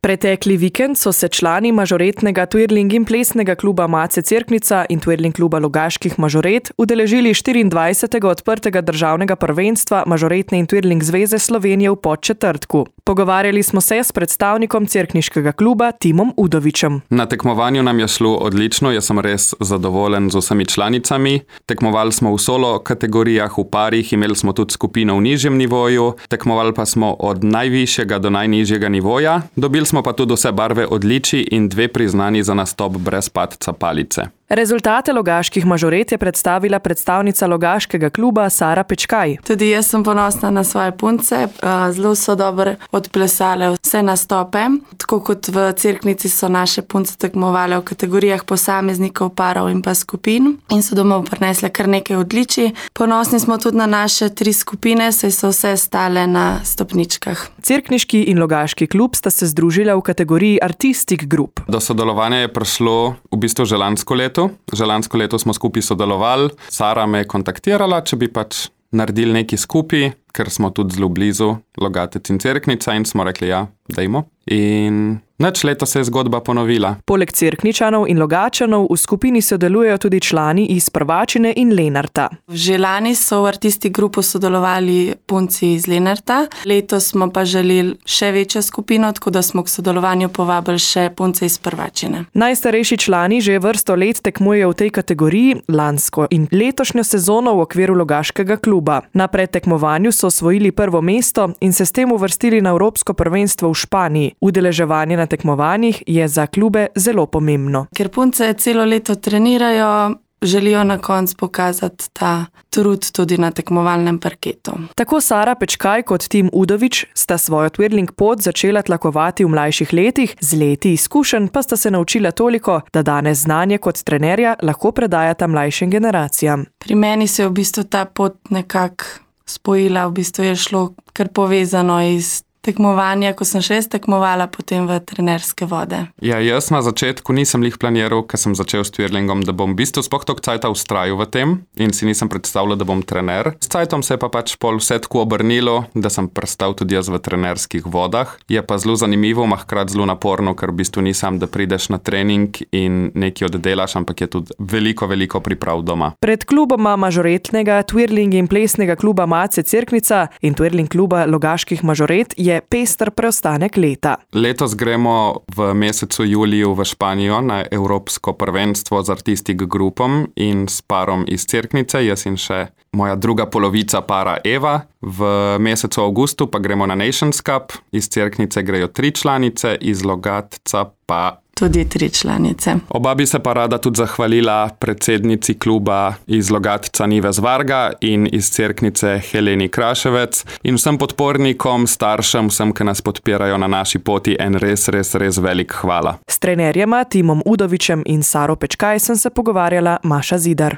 Pretekli vikend so se člani mažoretnega twirling in plesnega kluba Mace Cerknica in twirling kluba Logaških mažoret udeležili 24. odprtega državnega prvenstva Mažoretne in twirling zveze Slovenije v Podčetrtku. Pogovarjali smo se s predstavnikom cerkniškega kluba Timom Udovičem. Na tekmovanju nam je šlo odlično, jaz sem res zadovoljen z vsemi članicami. Tekmovali smo v solo kategorijah, v parih, imeli smo tudi skupino v nižjem nivoju, tekmovali pa smo od najvišjega do najnižjega nivoja. Dobili smo pa tudi vse barve odličij in 2 priznani za nastop brez padca palice. Rezultate Logaških mažoret je predstavila predstavnica Logaškega kluba Sara Pečkaj. Tudi jaz sem ponosna na svoje punce, zelo so dobro odplesale vse nastope. Tako kot v Cerknici so naše punce tekmovale v kategorijah posameznikov, parov in pa skupin in so domov prinesle kar nekaj odličij. Ponosni smo tudi na naše 3 skupine, saj so vse stale na stopničkah. Cerkniški in Logaški klub sta se združila v kategoriji Artistic Group. Do sodelovanja je prišlo v bistvu že lansko leto. Že lansko leto smo skupaj sodelovali. Sara me je kontaktirala, če bi pač naredili nekaj skupaj, ker smo tudi zelo blizu Logatec in Cerknica in smo rekli ja, dajmo. In nič leto se je zgodba ponovila. Poleg Cerkničanov in Logačanov v skupini sodelujejo tudi člani iz Prvačine in Lenarta. Že lani so v Artistic Grupu sodelovali punci iz Lenarta. Letos smo pa želeli še večjo skupino, tako da smo k sodelovanju povabili še punce iz Prvačine. Najstarejši člani že vrsto let tekmujejo v tej kategoriji, lansko in letošnjo sezono v okviru Logaškega kluba. Na predtekmovanju so osvojili prvo mesto in se s tem uvrstili na Evropsko prvenstvo v Španiji. Udeleževanje na tekmovanjih je za klube zelo pomembno. Ker punce celo leto trenirajo, želijo na koncu pokazati ta trud tudi na tekmovalnem parketu. Tako Sara Pečkaj kot Tim Udovič sta svojo twirling pot začela tlakovati v mlajših letih, z leti izkušenj pa sta se naučila toliko, da danes znanje kot trenerja lahko predajata mlajšim generacijam. Pri meni se je v bistvu ta pot nekako spojila, v bistvu je šlo kar povezano iz tekmovanja, ko sem še tekmovala, potem v trenerske vode. Ja, jaz na začetku nisem lih planiral, ker sem začel s twirlingom, da bom v bistvu sploh toliko cajta vztrajal v tem in si nisem predstavljal, da bom trener. S cajtom se je pa pač pol vse tako obrnilo, da sem prestal tudi jaz v trenerskih vodah. Je pa zelo zanimivo, hkrati zelo naporno, ker v bistvu nisem, da prideš na trening in nekaj oddelaš, ampak je tudi veliko priprav doma. Pred kluboma mažoretnega, twirling in plesnega kluba Mace Cerknica in twirling kluba Logaških mažoret je pester preostanek leta. Letos gremo v mesecu juliju v Španijo na Evropsko prvenstvo z Artistic Grupom in s parom iz Cerknice, jaz in še moja druga polovica para Eva. V mesecu avgustu pa gremo na Nations Cup, iz Cerknice grejo 3 članice, iz Logatca pa tudi 3 članice. Oba bi se pa rada tudi zahvalila predsednici kluba iz Logatca Nives Varga in iz Cerknice Heleni Kraševec in vsem podpornikom, staršem, vsem, ki nas podpirajo na naši poti, en res velik hvala. S trenerjema Timom Udovičem in Saro Pečkaj sem se pogovarjala Maša Zidar.